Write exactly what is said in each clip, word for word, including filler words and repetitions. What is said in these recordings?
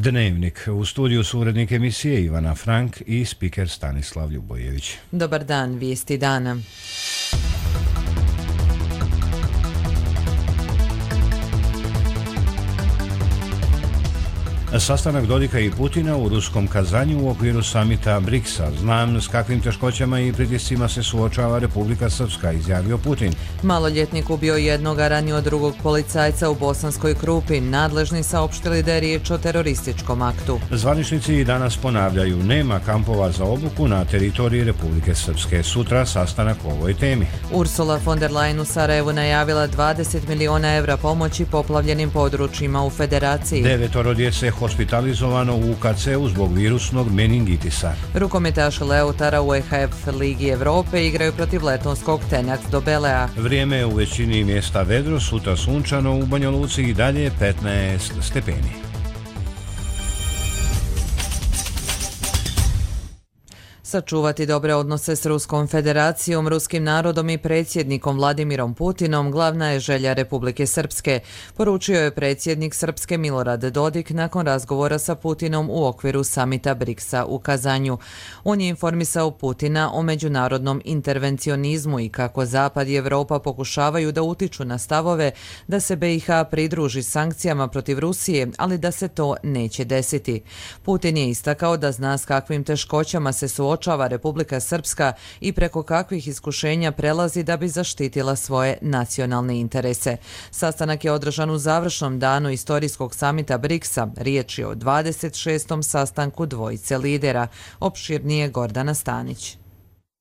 Dnevnik. U studiju su urednik emisije Ivana Frank i spiker Stanislav Ljubojević. Dobar dan, vijesti dana. Sastanak Dodika i Putina u ruskom Kazanju u okviru samita briksa. Znam s kakvim teškoćama i pritiscima se suočava Republika Srpska, izjavio Putin. Maloljetnik ubio jednog, a ranio drugog policajca u Bosanskoj Krupi. Nadležni saopštili da je riječ o terorističkom aktu. Zvaničnici i danas ponavljaju, nema kampova za obuku na teritoriji Republike Srpske. Sutra sastanak o ovoj temi. Ursula von der Leyen u Sarajevu najavila dvadeset miliona evra pomoći poplavljenim područjima u federaciji. Devetoro djece hospitalizovano u U K C-u zbog virusnog meningitisa. Rukometaši Leutara u E H F Ligi Evrope igraju protiv letonskog Tenac Dobelea. Vrijeme je u većini mjesta vedro, sutra sunčano, u Banja Luci i dalje petnaest stepeni. Sačuvati dobre odnose s Ruskom federacijom, ruskim narodom i predsjednikom Vladimirom Putinom glavna je želja Republike Srpske, poručio je predsjednik Srpske Milorad Dodik nakon razgovora sa Putinom u okviru samita briksa u Kazanju. On je informisao Putina o međunarodnom intervencionizmu i kako Zapad i Evropa pokušavaju da utiču na stavove da se B i H pridruži sankcijama protiv Rusije, ali da se to neće desiti. Putin je istakao da zna s kakvim teškoćama se suočava Republika Srpska i preko kakvih iskušenja prelazi da bi zaštitila svoje nacionalne interese. Sastanak je održan u završnom danu istorijskog samita briksa. Riječ je o dvadeset šestom sastanku dvojice lidera. Opširnije Gordana Stanić.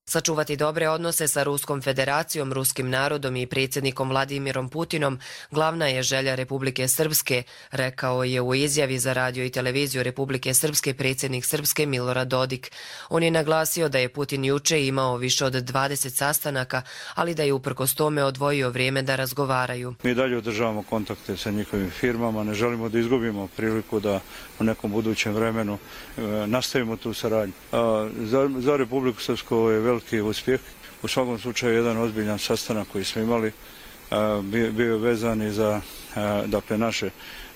Sačuvati dobre odnose sa Ruskom federacijom, ruskim narodom i predsjednikom Vladimirom Putinom glavna je želja Republike Srpske, rekao je u izjavi za radio i televiziju Republike Srpske predsjednik Srpske Milorad Dodik. On je naglasio da je Putin juče imao više od dvadeset sastanaka, ali da je uprkos tome odvojio vrijeme da razgovaraju. Mi dalje održavamo kontakte sa njihovim firmama, ne želimo da izgubimo priliku da u nekom budućem vremenu e, nastavimo tu saradnju. A, za, za Republiku Srpsku je veliki uspjeh. U svakom slučaju jedan ozbiljan sastanak koji smo imali a, bio, bio vezan i za a, dakle, naše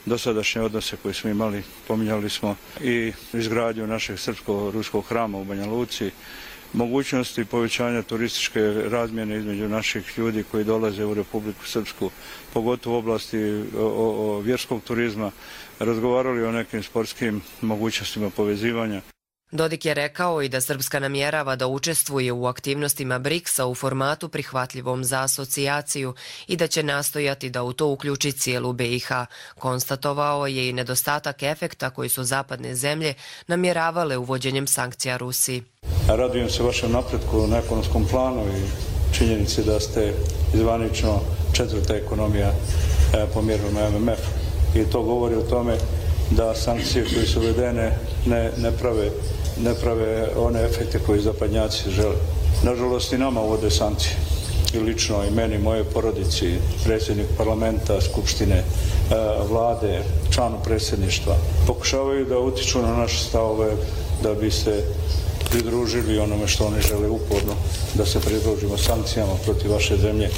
dosadašnje odnose koje smo imali. Pominjali smo i izgradnju našeg srpsko-ruskog hrama u Banja Luci, mogućnosti povećanja turističke razmjene između naših ljudi koji dolaze u Republiku Srpsku, pogotovo u oblasti o, o, o vjerskog turizma, razgovarali o nekim sportskim mogućnostima povezivanja. Dodik je rekao i da Srpska namjerava da učestvuje u aktivnostima briksa u formatu prihvatljivom za asocijaciju i da će nastojati da u to uključi cijelu B i H. Konstatovao je i nedostatak efekta koji su zapadne zemlje namjeravale uvođenjem sankcija Rusiji. Radujem se vašem napretku na ekonomskom planu i činjenici da ste zvanično četvrta ekonomija po mjerilom M M F. I to govori o tome da sankcije koje su uvedene ne, ne, prave, ne prave one efekte koje zapadnjaci žele. Nažalost i nama uvode sankcije. I lično i meni, moje porodici, predsjednik parlamenta, skupštine, vlade, članu predsjedništva. Pokušavaju da utiču na naše stavove da bi se pridružili onome što oni žele uporno, da se pridružimo sankcijama protiv vaše zemlje.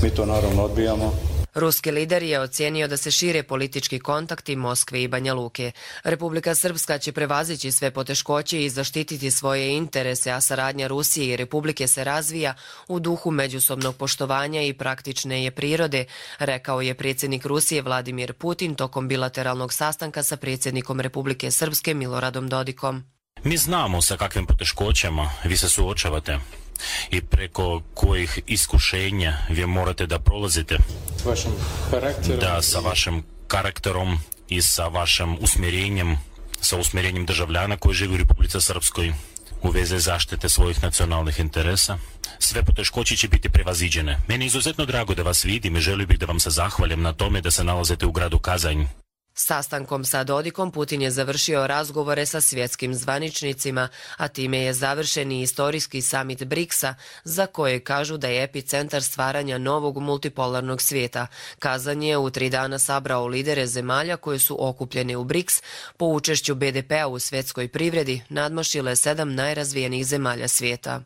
Mi to naravno odbijamo. Ruski lider je ocijenio da se šire politički kontakti Moskve i Banja Luke. Republika Srpska će prevazići sve poteškoće i zaštititi svoje interese, a saradnja Rusije i Republike se razvija u duhu međusobnog poštovanja i praktične je prirode, rekao je predsjednik Rusije Vladimir Putin tokom bilateralnog sastanka sa predsjednikom Republike Srpske Miloradom Dodikom. Mi znamo sa kakvim poteškoćama vi se suočavate i preko kojih iskušenja vi morate da prolazite. S vašim karakterom? Da, sa vašim karakterom i sa vašim usmjerenjem, sa usmjerenjem državljana koji žive u Republici Srpskoj u vezi zaštite svojih nacionalnih interesa. Sve poteškoće će biti prevaziđene. Meni je izuzetno drago da vas vidim i želio bih da vam se zahvalim na tome da se nalazite u gradu Kazanj. Sastankom sa Dodikom Putin je završio razgovore sa svjetskim zvaničnicima, a time je završen i istorijski samit briksa, za koje kažu da je epicentar stvaranja novog multipolarnog svijeta. Kazan je u tri dana sabrao lidere zemalja koje su okupljene u briks, po učešću B D P-a u svjetskoj privredi nadmašile sedam najrazvijenijih zemalja svijeta.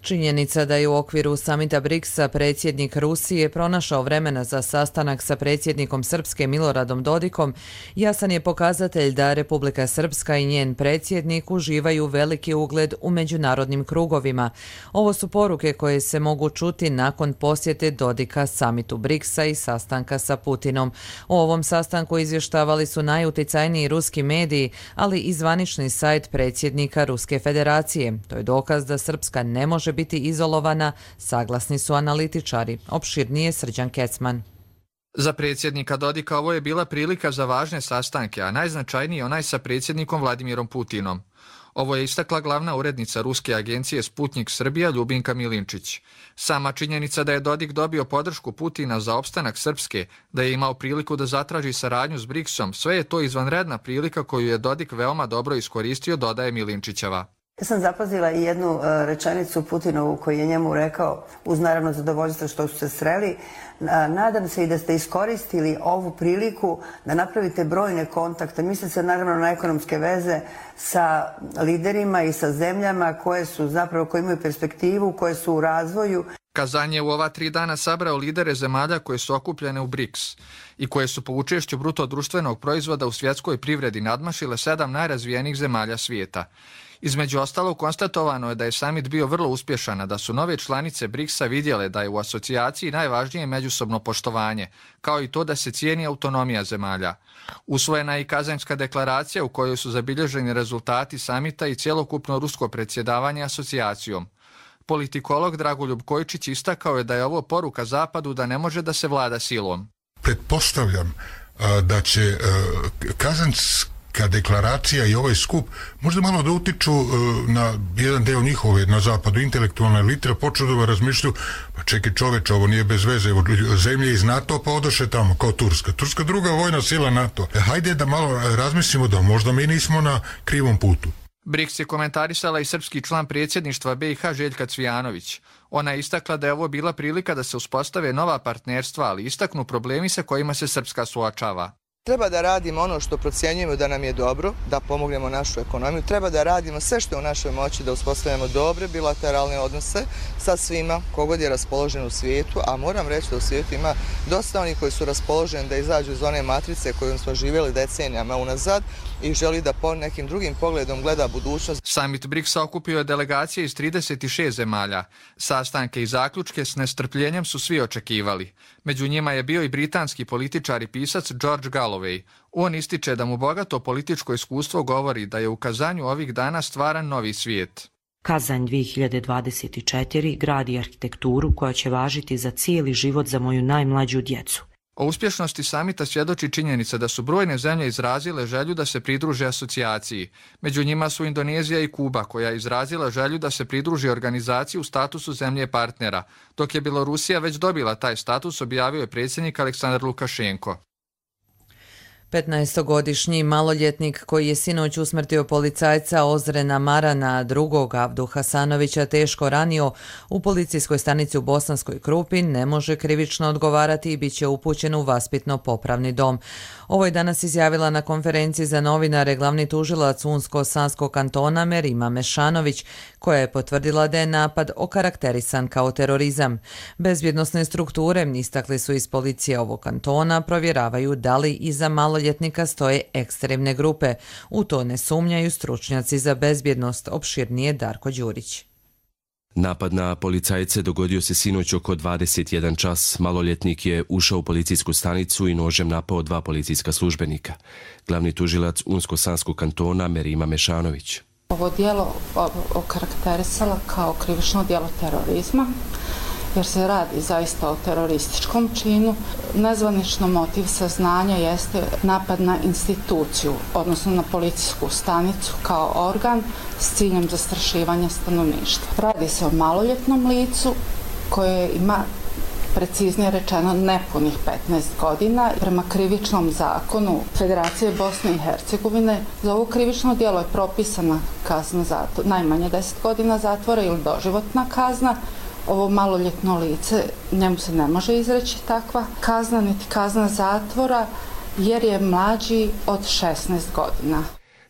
Činjenica da je u okviru samita briksa predsjednik Rusije pronašao vremena za sastanak sa predsjednikom Srpske Miloradom Dodikom jasan je pokazatelj da Republika Srpska i njen predsjednik uživaju veliki ugled u međunarodnim krugovima. Ovo su poruke koje se mogu čuti nakon posjete Dodika samitu briksa i sastanka sa Putinom. O ovom sastanku izvještavali su najuticajniji ruski mediji, ali i zvanični sajt predsjednika Ruske federacije. To je dokaz da Srpska ne može biti izolovana, saglasni su analitičari. Opširnije Srđan Kecman. Za predsjednika Dodika ovo je bila prilika za važne sastanke, a najznačajniji onaj sa predsjednikom Vladimirom Putinom. Ovo je istakla glavna urednica ruske agencije Sputnik Srbija Ljubinka Milinčić. Sama činjenica da je Dodik dobio podršku Putina za opstanak Srpske, da je imao priliku da zatraži saradnju s briksom, sve je to izvanredna prilika koju je Dodik veoma dobro iskoristio, dodaje Milinčićeva. Ja sam zapazila i jednu rečenicu Putinovu koji je njemu rekao, uz naravno zadovoljstvo što su se sreli. Nadam se i da ste iskoristili ovu priliku da napravite brojne kontakte. Misle se naravno na ekonomske veze sa liderima i sa zemljama koje su zapravo, koje imaju perspektivu, koje su u razvoju. Kazan je u ova tri dana sabrao lidere zemalja koje su okupljene u briks i koje su po učešću bruto društvenog proizvoda u svjetskoj privredi nadmašile sedam najrazvijenijih zemalja svijeta. Između ostalog, konstatovano je da je samit bio vrlo uspješan, a da su nove članice briksa vidjele da je u asocijaciji najvažnije međusobno poštovanje, kao i to da se cijeni autonomija zemalja. Usvojena je i Kazanjska deklaracija u kojoj su zabilježeni rezultati samita i cjelokupno rusko predsjedavanje asocijacijom. Politikolog Dragoljub Kojčić istakao je da je ovo poruka Zapadu da ne može da se vlada silom. Pretpostavljam a, da će a, Kazanjska deklaracija i ovaj skup možda malo da utiču a, na jedan deo njihove na zapadu intelektualne elite, počeo da razmišljaju, pa čekaj čoveče, ovo nije bez veze, evo, zemlje iz NATO pa odoše tamo kao Turska. Turska druga vojna sila NATO. E, hajde da malo razmislimo da možda mi nismo na krivom putu. briks je komentarisala i srpski član predsjedništva B i H Željka Cvijanović. Ona je istakla da je ovo bila prilika da se uspostave nova partnerstva, ali istaknu problemi sa kojima se Srpska suočava. Treba da radimo ono što procjenjujemo da nam je dobro, da pomognemo našu ekonomiju. Treba da radimo sve što je u našoj moći da uspostavimo dobre bilateralne odnose sa svima kogod je raspoložen u svijetu, a moram reći da u svijetu ima dosta onih koji su raspoloženi da izađu iz one matrice kojom smo živjeli decenijama unazad i želi da po nekim drugim pogledom gleda budućnost. Samit briksa okupio je delegacije iz trideset šest zemalja. Sastanke i zaključke s nestrpljenjem su svi očekivali. Među njima je bio i britanski političar i pisac George Galloway. On ističe da mu bogato političko iskustvo govori da je u Kazanju ovih dana stvaran novi svijet. Kazanj dvije hiljade dvadeset četiri gradi arhitekturu koja će važiti za cijeli život za moju najmlađu djecu. O uspješnosti samita svjedoči činjenica da su brojne zemlje izrazile želju da se pridruže asocijaciji. Među njima su Indonezija i Kuba, koja je izrazila želju da se pridruži organizaciji u statusu zemlje partnera. Dok je Bjelorusija već dobila taj status, objavio je predsjednik Aleksandar Lukašenko. petnaestogodišnji maloljetnik koji je sinoć usmrtio policajca Ozrena Marana, drugog Avdu Hasanovića teško ranio u policijskoj stanici u Bosanskoj Krupi, ne može krivično odgovarati i bit će upućen u vaspitno-popravni dom. Ovo je danas izjavila na konferenciji za novinare glavni tužilac Unsko-Sanskog kantona Merima Mešanović, koja je potvrdila da je napad okarakterisan kao terorizam. Bezbjednosne strukture, istakli su iz policije ovog kantona, provjeravaju da li iza maloljetnika stoje ekstremne grupe. U to ne sumnjaju stručnjaci za bezbjednost, opširnije Darko Đurić. Napad na policajce dogodio se sinoć oko dvadeset jedan čas. Maloljetnik je ušao u policijsku stanicu i nožem napao dva policijska službenika. Glavni tužilac Unsko-Sanskog kantona Merima Mešanović. Ovo djelo okarakterisala kao krivično djelo terorizma, jer se radi zaista o terorističkom činu. Nezvanično motiv saznanja jeste napad na instituciju, odnosno na policijsku stanicu kao organ s ciljem zastrašivanja stanovništva. Radi se o maloljetnom licu koje ima, preciznije rečeno, nepunih petnaest godina. Prema krivičnom zakonu Federacije Bosne i Hercegovine za ovo krivično djelo je propisana kazna zatvora, najmanje deset godina zatvora ili doživotna kazna. Ovo maloljetno lice, njemu se ne može izreći takva kazna, niti kazna zatvora, jer je mlađi od šesnaest godina.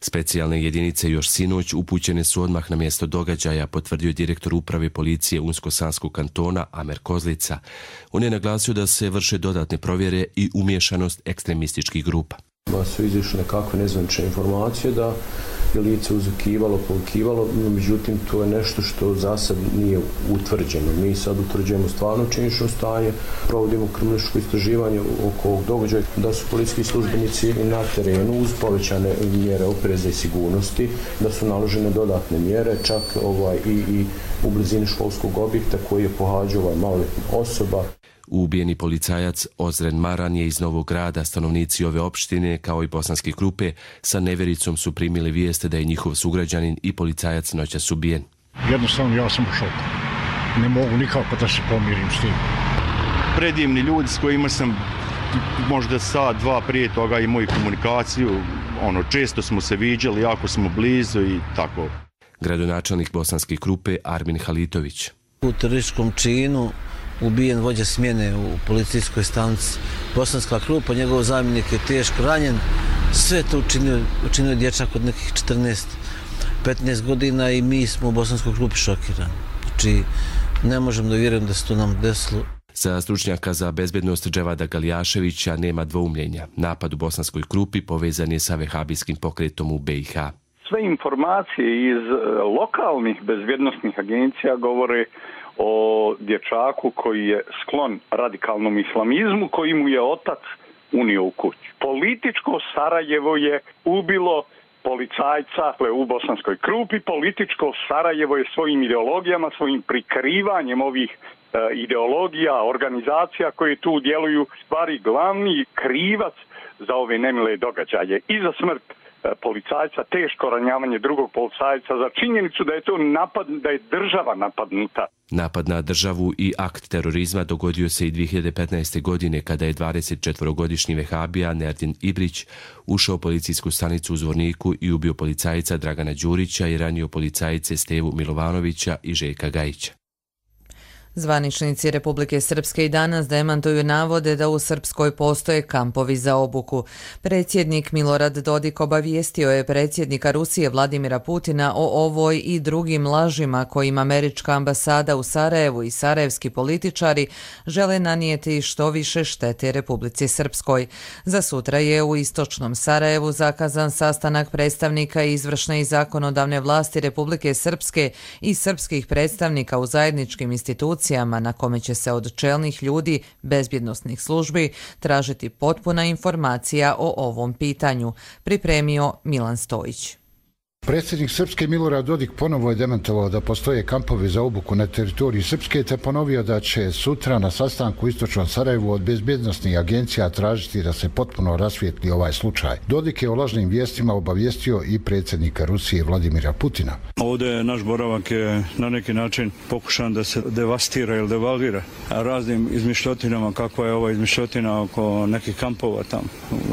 Specijalne jedinice još sinoć upućene su odmah na mjesto događaja, potvrdio direktor uprave policije Unsko-Sanskog kantona Amer Kozlica. On je naglasio da se vrše dodatne provjere i umiješanost ekstremističkih grupa. Ma su izišle nekakve nezvanične informacije da je lice uzukivalo, polukivalo, no međutim to je nešto što za sad nije utvrđeno. Mi sad utvrđujemo stvarno činjenično stanje, provodimo kriminalističko istraživanje oko ovog događaja, da su policijski službenici na terenu uz povećane mjere opreza i sigurnosti, da su naložene dodatne mjere, čak ovaj, i, i u blizini školskog objekta koji je pohađao ovaj maloljetna osoba. Ubijeni policajac Ozren Maran je iz Novog Grada. Stanovnici ove opštine, kao i bosanske grupe, sa nevericom su primili vijeste da je njihov sugrađanin i policajac noćas ubijen. Jednostavno ja sam u šoku. Ne mogu nikako da se pomirim s tim. Predivni ljudi s kojima sam možda sat, dva prije toga i moju komunikaciju, ono, često smo se viđali, jako smo blizu i tako. Gradonačelnik bosanske grupe Armin Halitović. U terorističkom činu ubijen vođa smjene u policijskoj stanici Bosanska Krupa, njegov zamjenik je teško ranjen. Sve to učinio, učinio dječak od nekih četrnaest petnaest godina i mi smo u Bosanskoj Krupi šokirani. Znači, ne možemo da vjerujem da se to nam desilo. Za stručnjaka za bezbednost Dževada Galijaševića nema dvoumljenja. Napad u Bosanskoj Krupi povezan je sa vehabijskim pokretom u B i H. Sve informacije iz lokalnih bezbjednosnih agencija govore o dječaku koji je sklon radikalnom islamizmu, koji mu je otac unio u kuću. Političko Sarajevo je ubilo policajca u Bosanskoj Krupi. Političko Sarajevo je svojim ideologijama, svojim prikrivanjem ovih e, ideologija, organizacija koje tu djeluju, stvari glavni krivac za ove nemile događaje i za smrt policajca, teško ranjavanje drugog policajca, za činjenicu da je to napad, da je država napadnuta. Napad na državu i akt terorizma dogodio se i dvije hiljade petnaeste. godine kada je dvadesetčetvorogodišnji vehabija Nerdin Ibrić ušao u policijsku stanicu u Zvorniku i ubio policajca Dragana Đurića i ranio policajice Stevu Milovanovića i Željka Gajića. Zvaničnici Republike Srpske i danas demantuju navode da u Srpskoj postoje kampovi za obuku. Predsjednik Milorad Dodik obavijestio je predsjednika Rusije Vladimira Putina o ovoj i drugim lažima kojima američka ambasada u Sarajevu i sarajevski političari žele nanijeti što više štete Republici Srpskoj. Za sutra je u istočnom Sarajevu zakazan sastanak predstavnika izvršne i zakonodavne vlasti Republike Srpske i srpskih predstavnika u zajedničkim institucijama na kome će se od čelnih ljudi bezbjednosnih službi tražiti potpuna informacija o ovom pitanju, pripremio Milan Stojić. Predsjednik Srpske Milorad Dodik ponovo je demantovao da postoje kampovi za obuku na teritoriji Srpske te ponovio da će sutra na sastanku u istočnom Sarajevu od bezbjednosnih agencija tražiti da se potpuno rasvijetli ovaj slučaj. Dodik je o lažnim vijestima obavijestio i predsjednika Rusije Vladimira Putina. Ovdje naš boravak je na neki način pokušan da se devastira ili devalvira raznim izmišljotinama, kakva je ova izmišljotina oko nekih kampova tamo.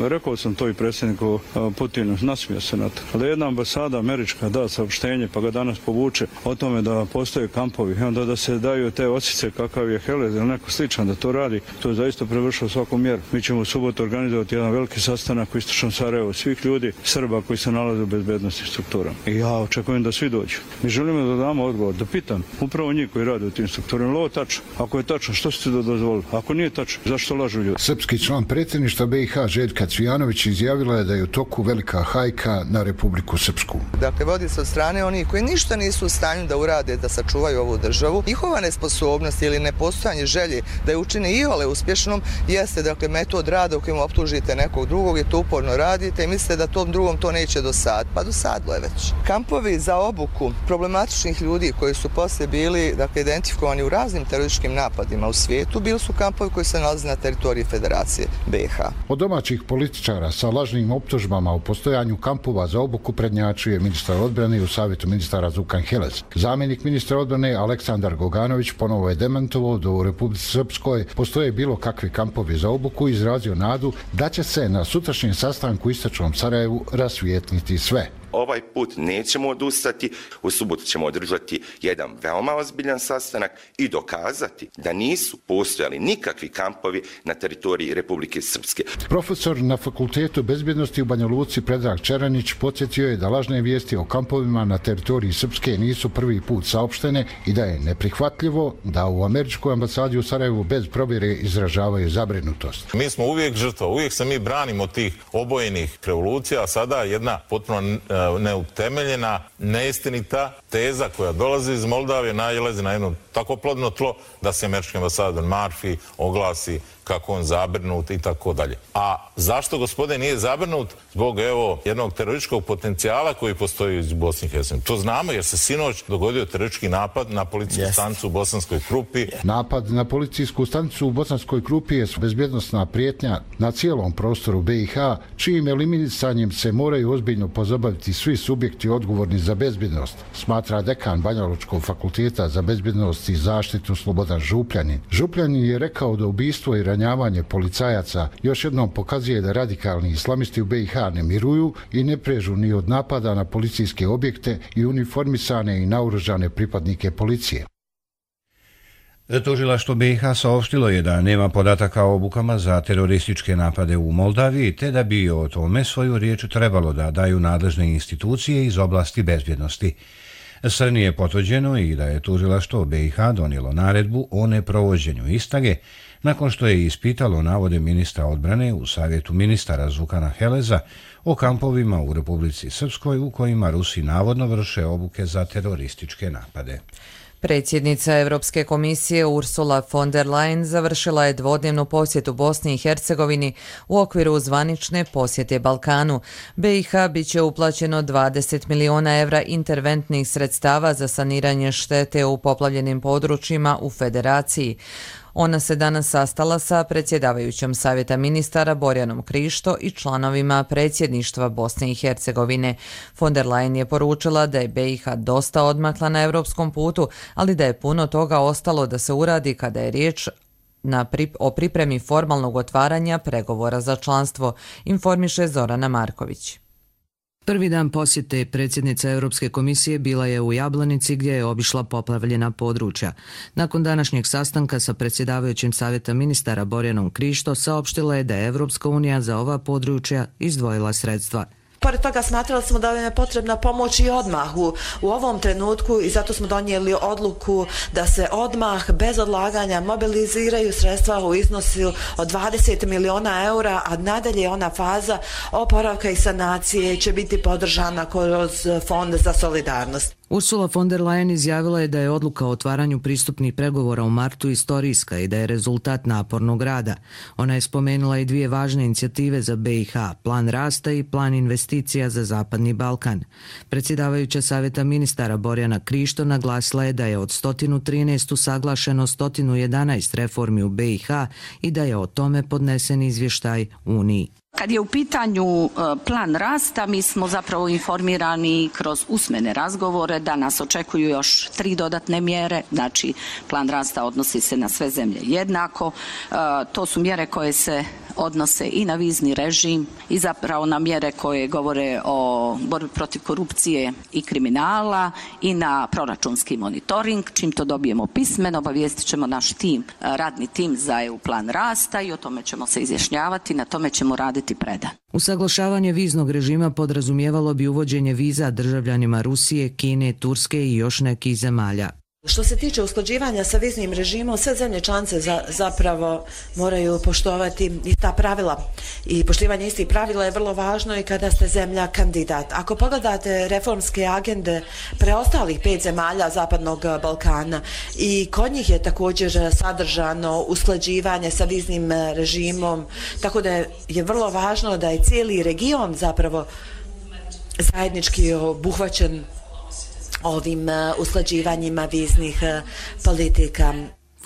Rekao sam to i predsjedniku Putinu, nasmio se na to. Ali jedna ambasada američka da saopštenje pa ga danas povuče o tome da postoje kampovi i onda da se daju te osice kakav je Helez ili neko sličan da to radi, to je zaista prevršilo svaku mjeru. Mi ćemo u subotu organizovati jedan veliki sastanak u istočnom Sarajevu svih ljudi, Srba koji se nalaze u bezbednosnim strukturama. I ja očekujem da svi dođu. Mi želimo da damo odgovor, da pitam upravo njih koji rade u tim strukturama. Ovo je tačno. Ako je tačno, što ste da dozvolili? Ako nije tačno, zašto lažu ljudi? Srpski član predsjedništva B i H Željka Cvijanović izjavila je da je u toku velika hajka na Republiku Srpsku. Dakle, vodi se od strane onih koji ništa nisu u stanju da urade, da sačuvaju ovu državu. Njihova nesposobnost ili nepostojanje želje da je učine iole uspješnom jeste, dakle, metod rada u kojem optužite nekog drugog i to uporno radite i mislite da tom drugom to neće dosaditi. Pa dosadilo je već. Kampovi za obuku problematičnih ljudi koji su poslije bili, dakle, identifikovani u raznim terorističkim napadima u svijetu, bili su kampovi koji se nalaze na teritoriji Federacije B i H. Od domaćih političara sa lažnim optužbama o postojanju kampova za obuku prednjačuje ministar odbrane u savjetu ministara Zukan Helez. Zamjenik ministra odbrane Aleksandar Goganović ponovo je demantovao da u Republici Srpskoj postoje bilo kakvi kampovi za obuku i izrazio nadu da će se na sutrašnjem sastanku u istočnom Sarajevu rasvijetliti sve. ovaj put nećemo odustati, u subotu ćemo održati jedan veoma ozbiljan sastanak i dokazati da nisu postojali nikakvi kampovi na teritoriji Republike Srpske. Profesor na Fakultetu bezbjednosti u Banja Luci Predrag Čeranić podsjetio je da lažne vijesti o kampovima na teritoriji Srpske nisu prvi put saopštene i da je neprihvatljivo da u američkoj ambasadi u Sarajevu bez provjere izražavaju zabrinutost. Mi smo uvijek žrtva, uvijek se mi branimo tih obojenih revolucija, a sada jedna potpuno neutemeljena, neistinita teza koja dolazi iz Moldavije najlazi na jedno tako plodno tlo da se američki ambasador Murphy oglasi kako on zabrinut i tako dalje. A zašto gospodin nije zabrinut? Zbog evo jednog terorističkog potencijala koji postoji u Bosni i Hercegovini. To znamo jer se sinoć dogodio teroristički napad na policijsku stanicu u Bosanskoj Krupi. Napad na policijsku stanicu u Bosanskoj Krupi je bezbjednosna prijetnja na cijelom prostoru B i H, čijim eliminisanjem se moraju ozbiljno pozabaviti svi subjekti odgovorni za bezbjednost, smatra dekan Banjalučkog fakulteta za bezbjednost i zaštitu Slobodan Župljanin. Župljanin je rekao da ubistvo i ranjavanje policajaca još jednom pokazuje da radikalni islamisti u B i H ne miruju i ne prežu ni od napada na policijske objekte i uniformisane i naoružane pripadnike policije. Tužilaštvo B i H saopštilo je da nema podataka o obukama za terorističke napade u Moldaviji, te da bi o tome svoju riječ trebalo da daju nadležne institucije iz oblasti bezbjednosti. Srni je potvrđeno i da je tužilaštvo B i H donijelo naredbu o neprovođenju istrage nakon što je ispitalo navode ministra odbrane u Savjetu ministara Zukana Heleza o kampovima u Republici Srpskoj u kojima Rusi navodno vrše obuke za terorističke napade. Predsjednica Europske komisije Ursula von der Leyen završila je dvodnevnu posjetu Bosni i Hercegovini u okviru zvanične posjete Balkanu. B i H bit će uplaćeno dvadeset miliona evra interventnih sredstava za saniranje štete u poplavljenim područjima u Federaciji. Ona se danas sastala sa predsjedavajućom Savjeta ministara Borjanom Krišto i članovima predsjedništva Bosne i Hercegovine. Von der Leyen je poručila da je B i H dosta odmakla na europskom putu, ali da je puno toga ostalo da se uradi kada je riječ na pri, o pripremi formalnog otvaranja pregovora za članstvo, informiše Zorana Marković. Prvi dan posjete predsjednica Europske komisije bila je u Jablanici gdje je obišla poplavljena područja. Nakon današnjeg sastanka sa predsjedavajućim Savjeta ministara Borjanom Krišto saopštila je da je Europska unija za ova područja izdvojila sredstva. Pored toga smatrali smo da je potrebna pomoć i odmah u, u ovom trenutku i zato smo donijeli odluku da se odmah bez odlaganja mobiliziraju sredstva u iznosu od dvadeset miliona eura, a nadalje ona faza oporavka i sanacije će biti podržana kroz Fond za solidarnost. Ursula von der Leyen izjavila je da je odluka o otvaranju pristupnih pregovora u martu istorijska i da je rezultat napornog rada. Ona je spomenula i dvije važne inicijative za B i H, plan rasta i plan investicija za Zapadni Balkan. Predsjedavajuća Savjeta ministara Borjana Krišto naglasila je da je od sto trinaest usaglašeno sto jedanaest reformi u B i H i da je o tome podnesen izvještaj Uniji. Kad je u pitanju plan rasta, mi smo zapravo informirani kroz usmene razgovore da nas očekuju još tri dodatne mjere, znači plan rasta odnosi se na sve zemlje jednako, to su mjere koje se odnose i na vizni režim i zapravo na mjere koje govore o borbi protiv korupcije i kriminala i na proračunski monitoring. Čim to dobijemo pismeno, obavijestit ćemo naš tim, radni tim za E U plan rasta i o tome ćemo se izjašnjavati, na tome ćemo raditi predan. Usaglašavanje viznog režima podrazumijevalo bi uvođenje viza državljanima Rusije, Kine, Turske i još nekih zemalja. Što se tiče usklađivanja sa viznim režimom, sve zemlje članice za, zapravo moraju poštovati ista pravila i poštivanje istih pravila je vrlo važno i kada ste zemlja kandidat. Ako pogledate reformske agende preostalih pet zemalja Zapadnog Balkana i kod njih je također sadržano usklađivanje sa viznim režimom, tako da je, je vrlo važno da je cijeli region zapravo zajednički obuhvaćen ovim usklađivanjima viznih politika.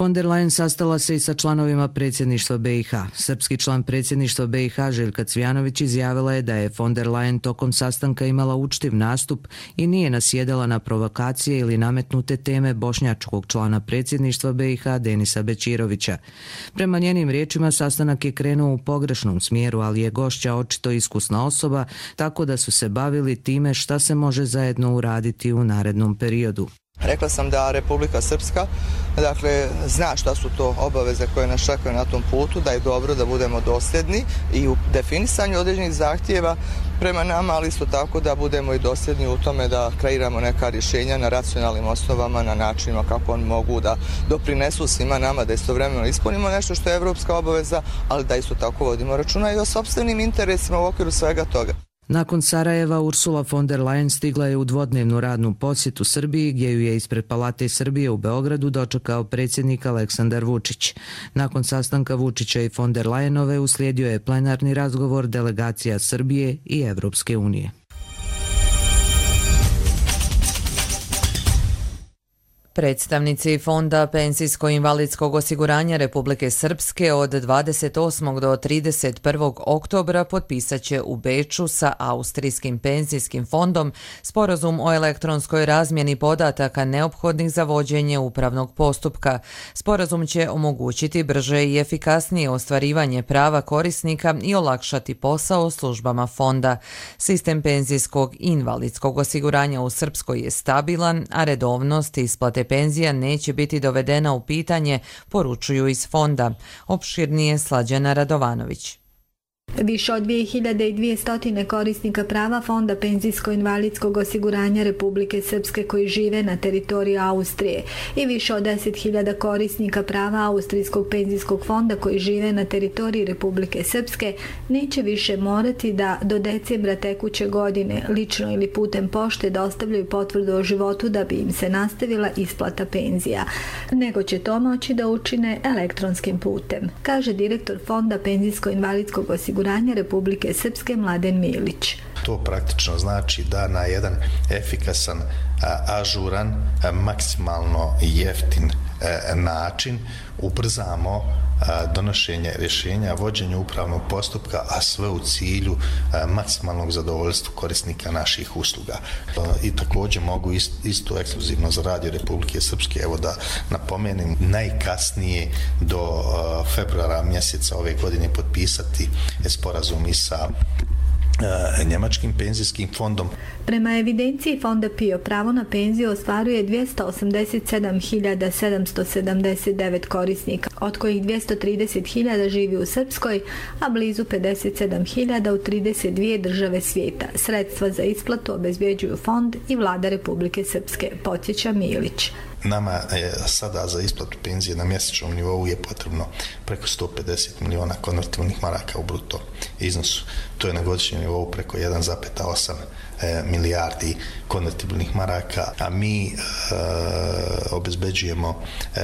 Von der Leyen sastala se i sa članovima predsjedništva B i H. Srpski član predsjedništva B i H Željka Cvjanović izjavila je da je von der Leyen tokom sastanka imala učtiv nastup i nije nasjedala na provokacije ili nametnute teme bošnjačkog člana predsjedništva B i H Denisa Bećirovića. Prema njenim riječima sastanak je krenuo u pogrešnom smjeru, ali je gošća očito iskusna osoba, tako da su se bavili time šta se može zajedno uraditi u narednom periodu. Rekla sam da Republika Srpska dakle, zna šta su to obaveze koje nas čekaju na tom putu, da je dobro da budemo dosljedni i u definisanju određenih zahtjeva prema nama, ali isto tako da budemo i dosljedni u tome da kreiramo neka rješenja na racionalnim osnovama, na načinima kako oni mogu da doprinesu svima nama, da istovremeno ispunimo nešto što je evropska obaveza, ali da isto tako vodimo računa i o sopstvenim interesima u okviru svega toga. Nakon Sarajeva, Ursula von der Leyen stigla je u dvodnevnu radnu posjetu Srbiji, gdje ju je ispred Palate Srbije u Beogradu dočekao predsjednik Aleksandar Vučić. Nakon sastanka Vučića i von der Leyenove uslijedio je plenarni razgovor delegacija Srbije i Evropske unije. Predstavnici Fonda Penzijsko-invalidskog osiguranja Republike Srpske od dvadeset osmog do trideset prvog oktobra potpisat će u Beču sa Austrijskim penzijskim fondom sporazum o elektronskoj razmjeni podataka neophodnih za vođenje upravnog postupka. Sporazum će omogućiti brže i efikasnije ostvarivanje prava korisnika i olakšati posao službama fonda. Sistem penzijskog i invalidskog osiguranja u Srpskoj je stabilan, a redovnost isplate penzija neće biti dovedena u pitanje, poručuju iz fonda. Opširnije Slađana Radovanović. Više od dvije hiljade dvjesto korisnika prava Fonda penzijsko-invalidskog osiguranja Republike Srpske koji žive na teritoriji Austrije i više od deset hiljada korisnika prava Austrijskog penzijskog fonda koji žive na teritoriji Republike Srpske neće više morati da do decembra tekuće godine lično ili putem pošte dostavljaju potvrdu o životu da bi im se nastavila isplata penzija, nego će to moći da učine elektronskim putem, kaže direktor Fonda penzijsko-invalidskog osiguranja Republike Srpske Mladen Milić. To praktično znači da na jedan efikasan, ažuran, maksimalno jeftin način ubrzamo donošenje rješenja, vođenje upravnog postupka, a sve u cilju maksimalnog zadovoljstva korisnika naših usluga. I također mogu isto ekskluzivno za Radio Republike Srpske, evo da napomenem, najkasnije do februara mjeseca ove godine potpisati sporazum i sa Njemačkim penzijskim fondom. Prema evidenciji Fonda P I O pravo na penziju ostvaruje dvjesto osamdeset sedam hiljada sedamsto sedamdeset devet korisnika, od kojih dvjesto trideset hiljada živi u Srpskoj, a blizu pedeset sedam hiljada u trideset dvije države svijeta. Sredstva za isplatu obezbjeđuju Fond i Vlada Republike Srpske, podsjeća Milić. Nama je sada za isplatu penzije na mjesečnom nivou je potrebno preko sto pedeset miliona konvertibilnih maraka u bruto iznosu. To je na godišnjem nivou preko jedan zarez osam milijardi konvertibilnih maraka, a mi e, obezbeđujemo e,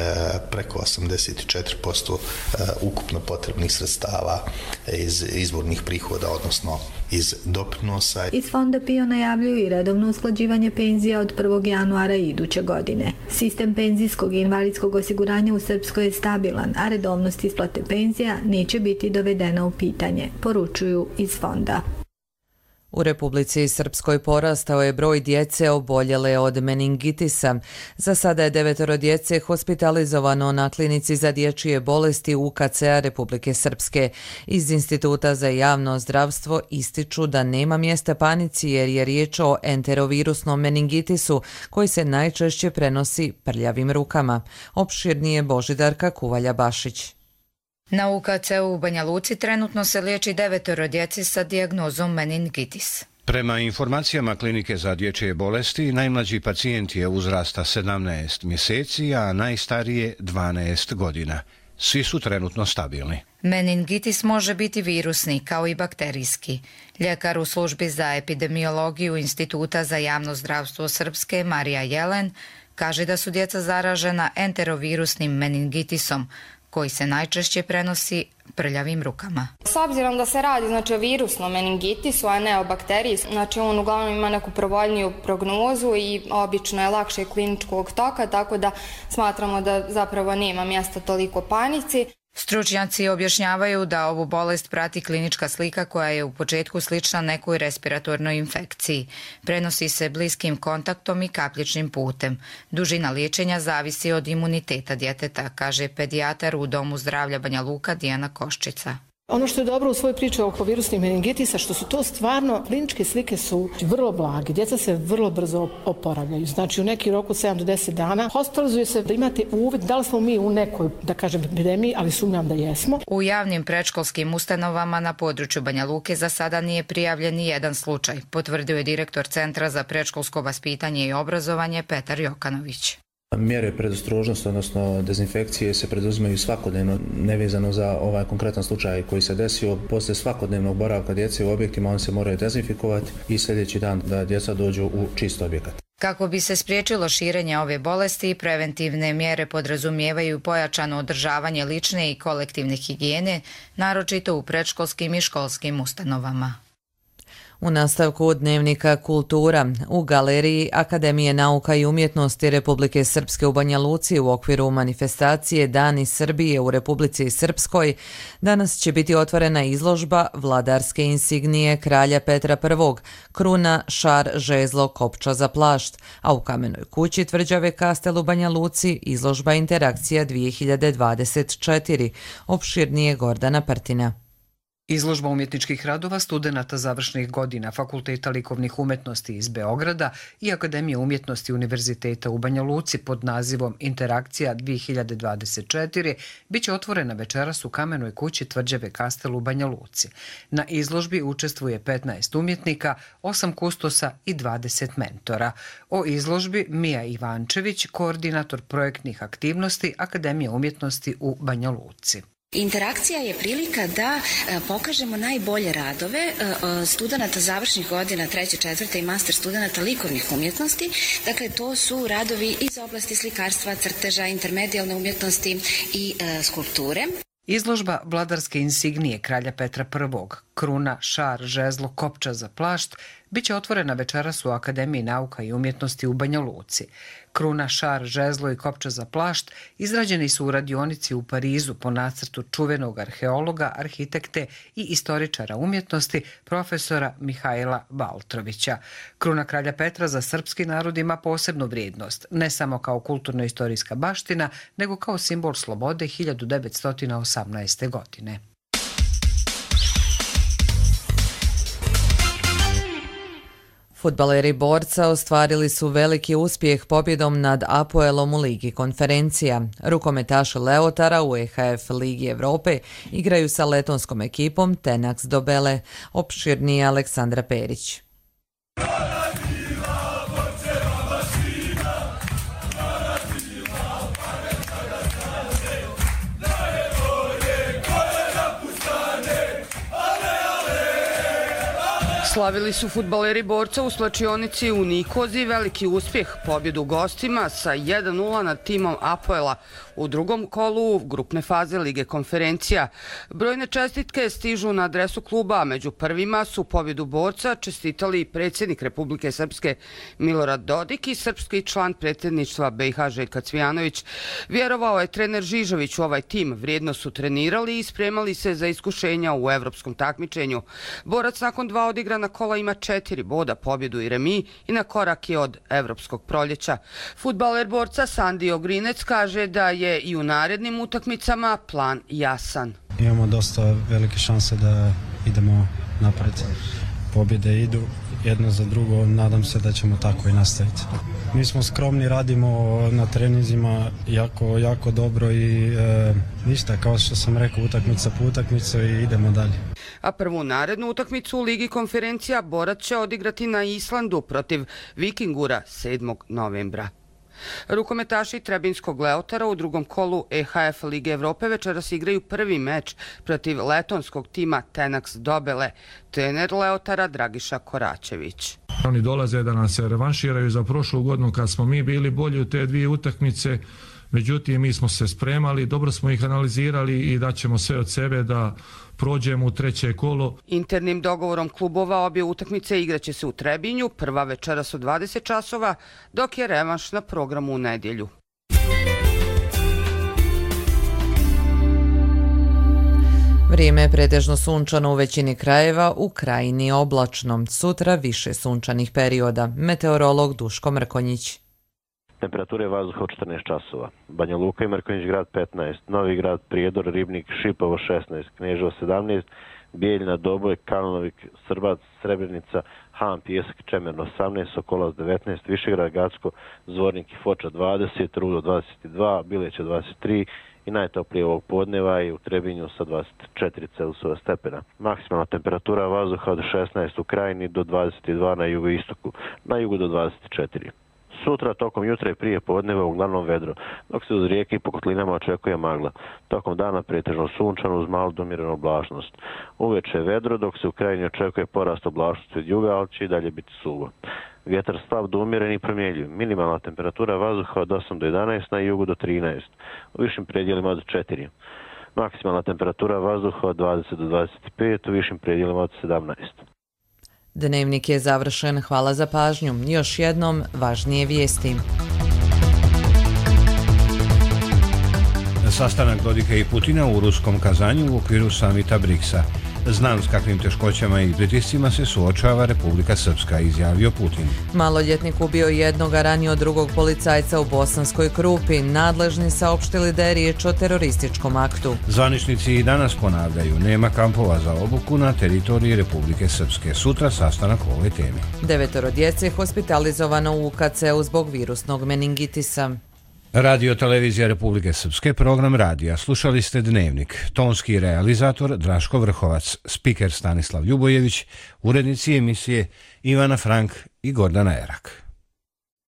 preko osamdeset četiri posto e, ukupno potrebnih sredstava iz izvornih prihoda, odnosno iz doprinosa. Iz Fonda P I O najavljuju i redovno usklađivanje penzija od prvog januara iduće godine. Sistem penzijskog i invalidskog osiguranja u Srpskoj je stabilan, a redovnost isplate penzija neće biti dovedena u pitanje, poručuju iz Fonda. U Republici Srpskoj porastao je broj djece oboljele od meningitisa. Za sada je devetoro djece hospitalizovano na klinici za dječje bolesti U K C-a Republike Srpske. Iz Instituta za javno zdravstvo ističu da nema mjesta panici jer je riječ o enterovirusnom meningitisu koji se najčešće prenosi prljavim rukama. Opširnije Božidarka Kuvalja-Bašić. Na U K C-u u Banja Luci trenutno se liječi devetoro djeci sa dijagnozom meningitis. Prema informacijama Klinike za dječje bolesti, najmlađi pacijent je uzrasta sedamnaest mjeseci, a najstarije dvanaest godina. Svi su trenutno stabilni. Meningitis može biti virusni kao i bakterijski. Ljekar u službi za epidemiologiju Instituta za javno zdravstvo Srpske Marija Jelen kaže da su djeca zaražena enterovirusnim meningitisom, koji se najčešće prenosi prljavim rukama. S obzirom da se radi znači, o virusnom meningitisu, a ne o bakteriji, znači on uglavnom ima neku provoljniju prognozu i obično je lakše kliničkog toka, tako da smatramo da zapravo nema mjesta toliko panici. Stručnjaci objašnjavaju da ovu bolest prati klinička slika koja je u početku slična nekoj respiratornoj infekciji. Prenosi se bliskim kontaktom i kapljičnim putem. Dužina liječenja zavisi od imuniteta djeteta, kaže pedijatar u Domu zdravlja Banja Luka Dijana Koščica. Ono što je dobro u svojoj priči oko virusnih meningitisa, što su to stvarno, kliničke slike su vrlo blage. Djeca se vrlo brzo oporavljaju. Znači u neki roku sedam do deset dana hospitalizuje se da imate uvid da li smo mi u nekoj, da kažem, epidemiji, ali sumnjam da jesmo. U javnim predškolskim ustanovama na području Banja Luke za sada nije prijavljen ni jedan slučaj, potvrdio je direktor Centra za predškolsko vaspitanje i obrazovanje Petar Jokanović. Mjere predostrožnosti, odnosno dezinfekcije, se preduzimaju svakodnevno, nevezano za ovaj konkretan slučaj koji se desio. Poslije svakodnevnog boravka djece u objektima on se moraju dezinfikovati i sljedeći dan da djeca dođu u čist objekat. Kako bi se spriječilo širenje ove bolesti, preventivne mjere podrazumijevaju pojačano održavanje lične i kolektivne higijene, naročito u predškolskim i školskim ustanovama. U nastavku dnevnika Kultura u Galeriji Akademije nauka i umjetnosti Republike Srpske u Banja Luci u okviru manifestacije Dani Srbije u Republici Srpskoj danas će biti otvorena izložba Vladarske insignije kralja Petra Prvog, kruna, šar, žezlo, kopča za plašt, a u Kamenoj kući tvrđave Kastel u Banja Luci izložba Interakcija dvije hiljade dvadeset četiri, opširnije Gordana Partina. Izložba umjetničkih radova studenata završnih godina Fakulteta likovnih umjetnosti iz Beograda i Akademije umjetnosti Univerziteta u Banja Luci pod nazivom Interakcija dvije hiljade dvadeset četiri biće otvorena večeras u Kamenoj kući tvrđave Kastel u Banja Luci. Na izložbi učestvuje petnaest umjetnika, osam kustosa i dvadeset mentora. O izložbi Mija Ivančević, koordinator projektnih aktivnosti Akademije umjetnosti u Banja Luci. Interakcija je prilika da pokažemo najbolje radove studenata završnih godina treće, četvrte i master studenata likovnih umjetnosti. Dakle, to su radovi iz oblasti slikarstva, crteža, intermedijalne umjetnosti i skulpture. Izložba Vladarske insignije kralja Petra Prvog, kruna, šar, žezlo, kopča za plašt, biće otvorena večeras u Akademiji nauka i umjetnosti u Banja Luci. Kruna, šar, žezlo i kopča za plašt izrađeni su u radionici u Parizu po nacrtu čuvenog arheologa, arhitekte i istoričara umjetnosti profesora Mihajla Valtrovića. Kruna kralja Petra za srpski narod ima posebnu vrijednost, ne samo kao kulturno-istorijska baština, nego kao simbol slobode hiljadu devetsto osamnaeste. godine. Fudbaleri Borca ostvarili su veliki uspjeh pobjedom nad Apoelom u Ligi konferencija. Rukometaši Leotara u E H F Ligi Evrope igraju sa letonskom ekipom Tenax Dobele, opširnije Aleksandra Perić. Slavili su fudbaleri Borca u slačionici u Nikozi veliki uspjeh, pobjedu u gostima sa jedan nula nad timom Apoela u drugom kolu grupne faze Lige konferencija. Brojne čestitke stižu na adresu kluba, a među prvima su pobjedu Borca čestitali predsjednik Republike Srpske Milorad Dodik i srpski član predsjedništva B i H Željko Cvijanović. Vjerovao je trener Žižović u ovaj tim, vrijedno su trenirali i spremali se za iskušenja u evropskom takmičenju. Borac nakon dva odigrana kola ima četiri boda, pobjedu i remi i na korak je od evropskog proljeća. Fudbaler Borca Sandi Ogrinec kaže da je i u narednim utakmicama plan jasan. Imamo dosta velike šanse da idemo napred. Pobjede idu jedno za drugo, nadam se da ćemo tako i nastaviti. Mi smo skromni, radimo na treninzima jako, jako dobro i e, ništa, kao što sam rekao, utakmica po utakmicu i idemo dalje. A prvu narednu utakmicu u Ligi konferencija Borac će odigrati na Islandu protiv Vikingura sedmog novembra. Rukometaši Trebinskog Leotara u drugom kolu E H F Lige Evrope večeras igraju prvi meč protiv letonskog tima Tenax Dobele, trener Leotara Dragiša Koračević. Oni dolaze da nas se revanširaju za prošlu godinu kad smo mi bili bolji u te dvije utakmice. Međutim, mi smo se spremali, dobro smo ih analizirali i daćemo sve od sebe da prođemo u treće kolo. Internim dogovorom klubova obje utakmice igraće se u Trebinju, prva večeras u dvadeset časova, dok je revanš na programu u nedjelju. Vrijeme je pretežno sunčano u većini krajeva, u krajini oblačno. Sutra više sunčanih perioda. Meteorolog Duško Mrkonjić. Temperature vazduha od četrnaest časova. Banja Luka i Mrkonjić Grad petnaest, Novi Grad, Prijedor, Ribnik, Šipovo šesnaest, Kneževo sedamnaest, Bijeljina, Doboj, Kalnovik, Srbac, Srebrenica, Han, Pijesak, Čemerno osamnaest, Sokolac devetnaest, Višegrad, Gacko, Zvornik i Foča dvadeset, Rudo dvadeset dva, Bileća dvadeset tri i najtoplije ovog podneva i u Trebinju sa dvadeset četiri Celzijusova stepena. Maksimalna temperatura vazduha od šesnaest u Krajini do dvadeset dva na jugoistoku, na jugu do dvadeset četiri. Sutra tokom jutra i prije podneva uglavnom vedro, dok se uz rijeke i po kotlinama očekuje magla. Tokom dana pretežno sunčano uz malu domiranu oblačnost. Uveče vedro, dok se u Krajini očekuje porast oblačnosti od juga, ali će i dalje biti suvo. Vjetar slab do umjeren i promjenjiv. Minimalna temperatura vazduha od osam do jedanaest, na jugu do trinaest, u višim predjelima od četiri. Maksimalna temperatura vazduha od dvadeset do dvadeset pet, u višim predjelima od sedamnaest. Dnevnik je završen. Hvala za pažnju. Još jednom važnije vijesti. Sastanak Dodika i Putina u ruskom Kazanju u okviru samita briksa. Znam s kakvim teškoćama i pritiscima se suočava Republika Srpska, izjavio Putin. Maloljetnik ubio jednog, a ranio drugog policajca u Bosanskoj Krupi. Nadležni saopštili da je riječ o terorističkom aktu. Zvaničnici i danas ponavljaju, nema kampova za obuku na teritoriji Republike Srpske. Sutra sastanak o ovoj temi. Devetoro djece hospitalizovano u U K C-u zbog virusnog meningitisa. Radio Televizija Republike Srpske, program radija. Slušali ste Dnevnik. Tonski realizator Draško Vrhovac, spiker Stanislav Ljubojević, urednici emisije Ivana Frank i Gordana Erak.